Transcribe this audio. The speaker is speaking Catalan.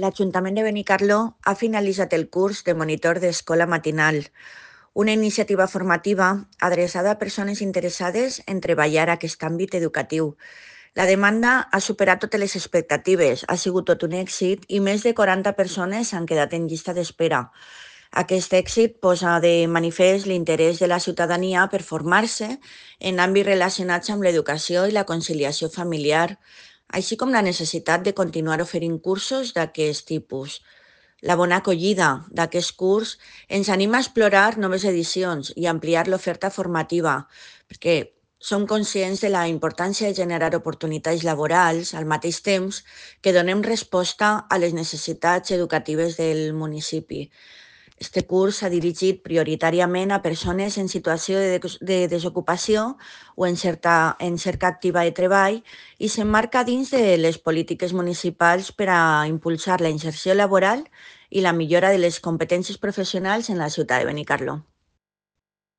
L'Ajuntament de Benicarló ha finalitzat el curs de monitor d'escola matinal, una iniciativa formativa adreçada a persones interessades en treballar aquest àmbit educatiu. La demanda ha superat totes les expectatives, ha sigut tot un èxit i més de 40 persones han quedat en llista d'espera. Aquest èxit posa de manifest l'interès de la ciutadania per formar-se en àmbits relacionats amb l'educació i la conciliació familiar, així com la necessitat de continuar oferint cursos d'aquest tipus. La bona acollida d'aquest curs ens anima a explorar noves edicions i ampliar l'oferta formativa, perquè som conscients de la importància de generar oportunitats laborals al mateix temps que donem resposta a les necessitats educatives del municipi. Este curs s'ha dirigit prioritàriament a persones en situació de desocupació o en cerca activa de treball i s'emmarca dins de les polítiques municipals per a impulsar la inserció laboral i la millora de les competències professionals en la ciutat de Benicarló.